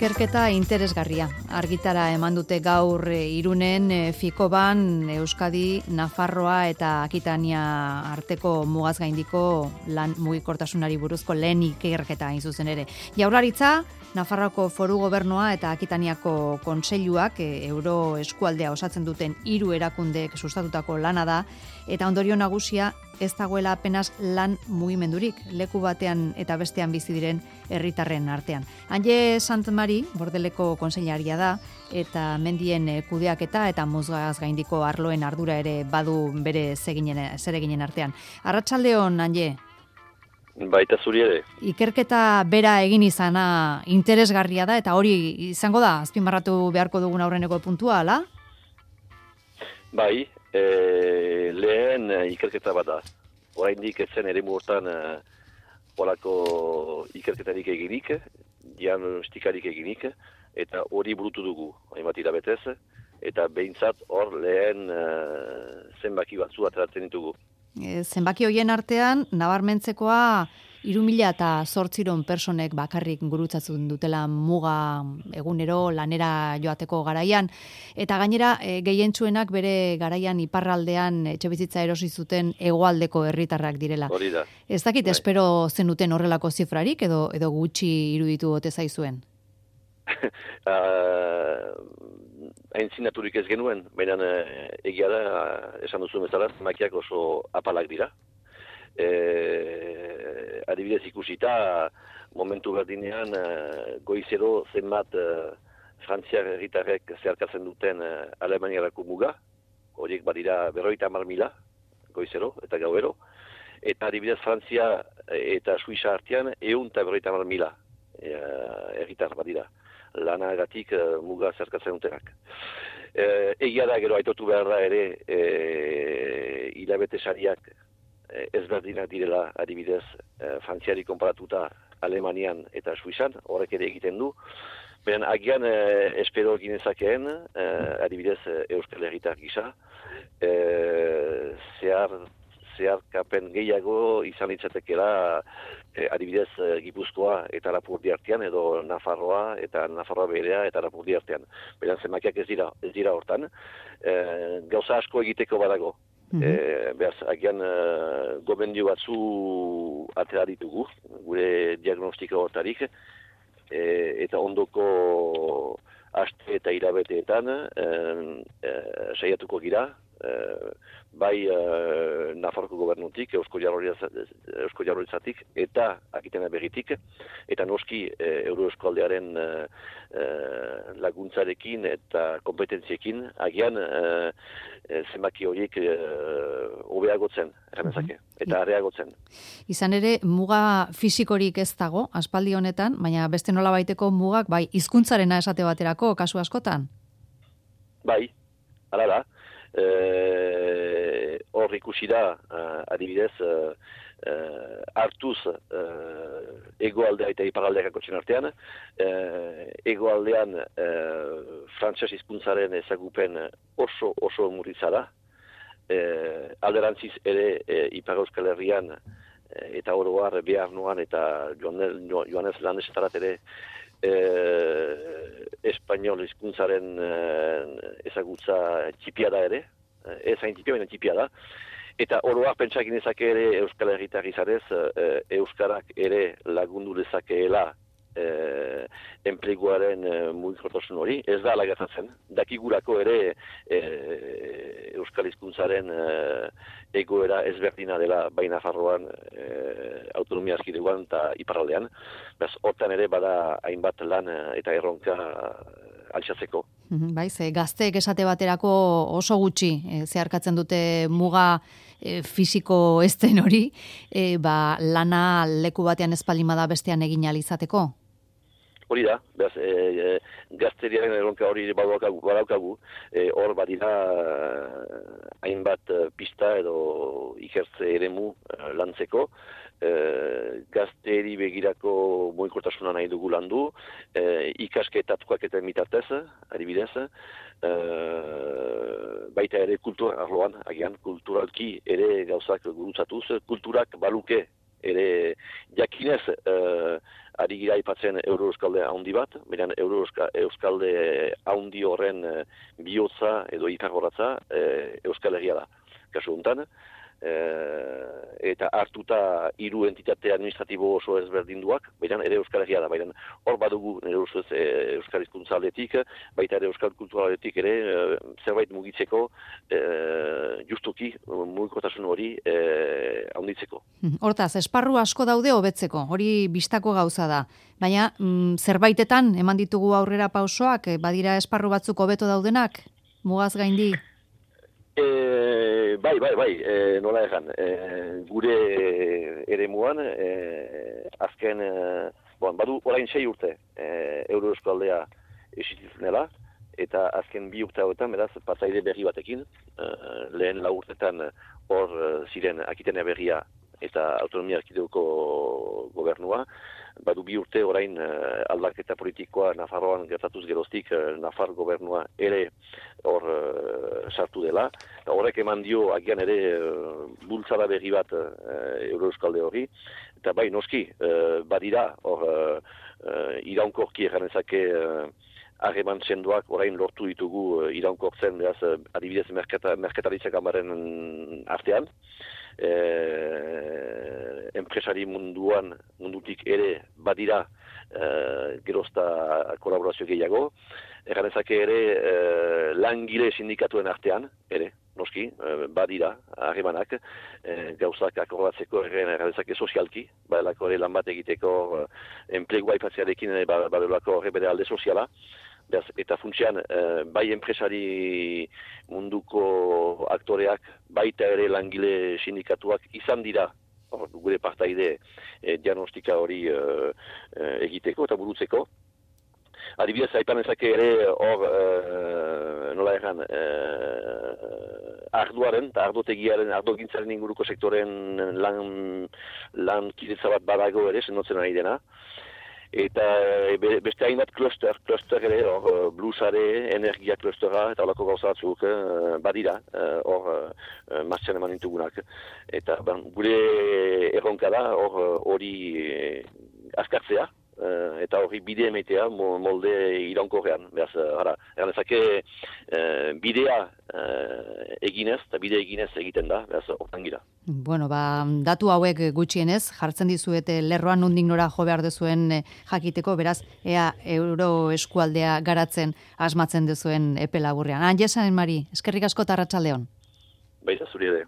Ikerketa interesgarria. Argitara eman dute gaur Irunen, Fikoban, Euskadi, Nafarroa eta Akitania arteko mugaz gaindiko lan mugikortasunari buruzko lehen ikerketa hain zuzen ere. Jaurlaritza, Nafarroako Foru Gobernua eta Akitaniako Kontseiluak euro eskualdea osatzen duten 3 erakundeek sustatutako lana da, eta ondorio nagusia ez dagoela apenas lan mugimendurik, leku batean eta bestean bizi diren herritarren artean. Anje Santmari, Bordeleko kontseilaria da, eta mendien kudeaketa eta mugaz gaindiko arloen ardura ere badu bere zereginen artean. Arratsaldeon, Anje. Baita zuri ere. Ikerketa bera egin izana interesgarria da, eta hori izango da, azpimarratu beharko dugun aurreneko puntua, ala? Bai, lehen ikerketa bat da. Oraindik ez zen eremu hortan horako ikerketarik eginik, diagnostikarik eginik, eta hori burutu dugu, hainbat hilabetez, eta behintzat hor lehen zenbaki batzu ateratzen ditugu. Zenbaki hoien artean, nabarmentzekoa 3.800 personek bakarrik gurutzatzen dutela muga egunero lanera joateko garaian, eta gainera gehientsuenak bere garaian iparraldean etxebizitza erosi zuten hegoaldeko herritarrak direla. Hori da. Ez dakit espero zenuten horrelako zifrarik edo gutxi iruditu ote zaizuen? Aintzinaturik ez genuen, baina egia da, esan duzu bezala, zenbakiak oso apalak dira. Adibidez ikusita, momentu berdinean goizero zenbat frantziar herritarrek zeharkatzen duten Alemaniarako muga, horiek badira 50.000 goizero eta gauero, eta adibidez Frantzia eta Suiza artean 150.000 herritar badira. Lanagatik muga zerkatzen dutenak. Egia da, gero aitotu behar da ere hilabete sariak ezberdinak direla, adibidez, Frantziari konparatuta Alemanian eta Suizan, horrek ere egiten du. Beren agian espero ginezakeen, adibidez, Euskal Herritar gisa, zeharkapen gehiago izan litzatekela adibidez Gipuzkoa eta Lapurdi artean, edo Nafarroa eta Nafarroa berea eta Lapurdi artean. Beran zenbakiak ez dira hortan. Gauza asko egiteko badago. Beraz, agian gomendio batzu atera ditugu, gure diagnostika hortarik, eta ondoko aste eta hilabeteetan saiatuko gira, bai Nafarroko gobernutik, Eusko Jaurlaritzatik eta Akitania berritik, eta noski Euroeskualdearen laguntzarekin eta kompetentziekin, agian zenbaki horiek hobeagotzen, erramezake, eta areagotzen. Izan ere, muga fisikorik ez dago, aspaldi honetan, baina beste nolabaiteko mugak, bai, hizkuntzarena esate baterako, kasu askotan? Bai, hala da. Hor ikusi da, adibidez, hartuz egoaldea eta iparaldeak akotzen artean, egoaldean frantses hizkuntzaren ezagupen oso murritza da, alderantziz ere Ipar Euskal Herrian eta oro har Bearnoan eta Joanes Landesetarat ere espainol hizkuntzaren ezagutza txipia da ere, ez hain txipia, baina txipia da. Eta oro har pentsak inezake ere Euskal Herritar izarez, Euskarak ere lagundu dezakeela enpleguaren mugikortasun hori, ez da alagatzen. Dakigurako ere Euskal hizkuntzaren egoera ezberdina dela bai Nafarroan, autonomia erkidegoan eta iparraldean. Beraz, hortan ere bada hainbat lan eta erronka altxatzeko. Bai, gazteek esate baterako oso gutxi zeharkatzen dute muga fisiko ez den hori, lana leku batean espaldimada bestean egin ahal izateko? Hori da, beraz, gazteriaren erronka hori badaukagu, hor badira hainbat pista edo ikertze eremu lantzeko, gazteri begirako mugikortasuna nahi dugu landu, ikasketatuak eta mitatez, adibidez, baita ere kultura arloan, agian, kulturalki ere gauzak gurutzatuz, kulturak baluke ere jakinez ari gira aipatzen Euro-Euskalde haundi bat, beran Euro-Euskalde haundi horren bihotza edo ikargoratza Euskal Herria da. Kasu honetan, eta hartuta 3 entitate administratibo oso ezberdinduak, baina ere Euskal Herria da, baina hor badugu nire ustez Euskal Hizkuntza aldetik, baita ere Euskal Kultura aldetik ere zerbait mugitzeko, justuki mugikortasun hori handitzeko. Hortaz, esparru asko daude hobetzeko, hori bistako gauza da, baina zerbaitetan eman ditugu aurrera pausoak, badira esparru batzuk hobeto daudenak, mugaz gaindi? Bai, nola egan, gure eremuan, azken, badu orain 6 urte Euro-Euskaldea existizenela, eta azken 2 urte hauetan, beraz, partaide berri batekin, lehen 4 urtetan hor ziren Akitania berria eta autonomia erkidegoko gobernua, badu 2 urte orain aldaketa politikoa Nafarroan gertatuz geroztik Nafar gobernua ere hor sartu dela. Horrek eman dio agian ere bultzada berri bat Euro-Euskalde hori. Eta bai, noski, badira hor iraunkorki erranezake harreman sendoak orain lortu ditugu iraunkortzen, beraz, adibidez merkataritzak amaren artean. Enpresari mundutik ere badira gerozta kolaborazio gehiago. Erranezake ere langile sindikatuen artean, ere, noski, badira harremanak, gauzak akordatzeko erranezake sozialki, badalako ere lan bat egiteko enplegua aipatzearekin badalako horre bere alde soziala. Eta funtsean, bai enpresari munduko aktoreak, baita ere langile sindikatuak izan dira, gure partaide diagnostika hori egiteko eta burutzeko. Adibidez, aipan ezake ere hor, nola erran, arduaren eta ardotegiaren, ardogintzaren inguruko sektoren lan kidetza bat badago ere, sendotzen ari dena. Eta beste hainbat kluster ere, blusare, energia klustera, eta horako gauza batzuk badira, hor martxan eman ditugunak. Eta gure erronka da, hori azkartzea, eta hori bide emetea molde iraunkorrean. Beraz, erranezake bidea eginez, eta bide eginez egiten da, beraz, hortan gira. Bueno, datu hauek gutxienez, jartzen dizuete lerroan nondik nora jo behar duzuen jakiteko, beraz, ea euro eskualdea garatzen asmatzen duzuen epe laburrean. Anjesan, Mari, eskerrik asko eta arratsaldeon. Baita zuri ere.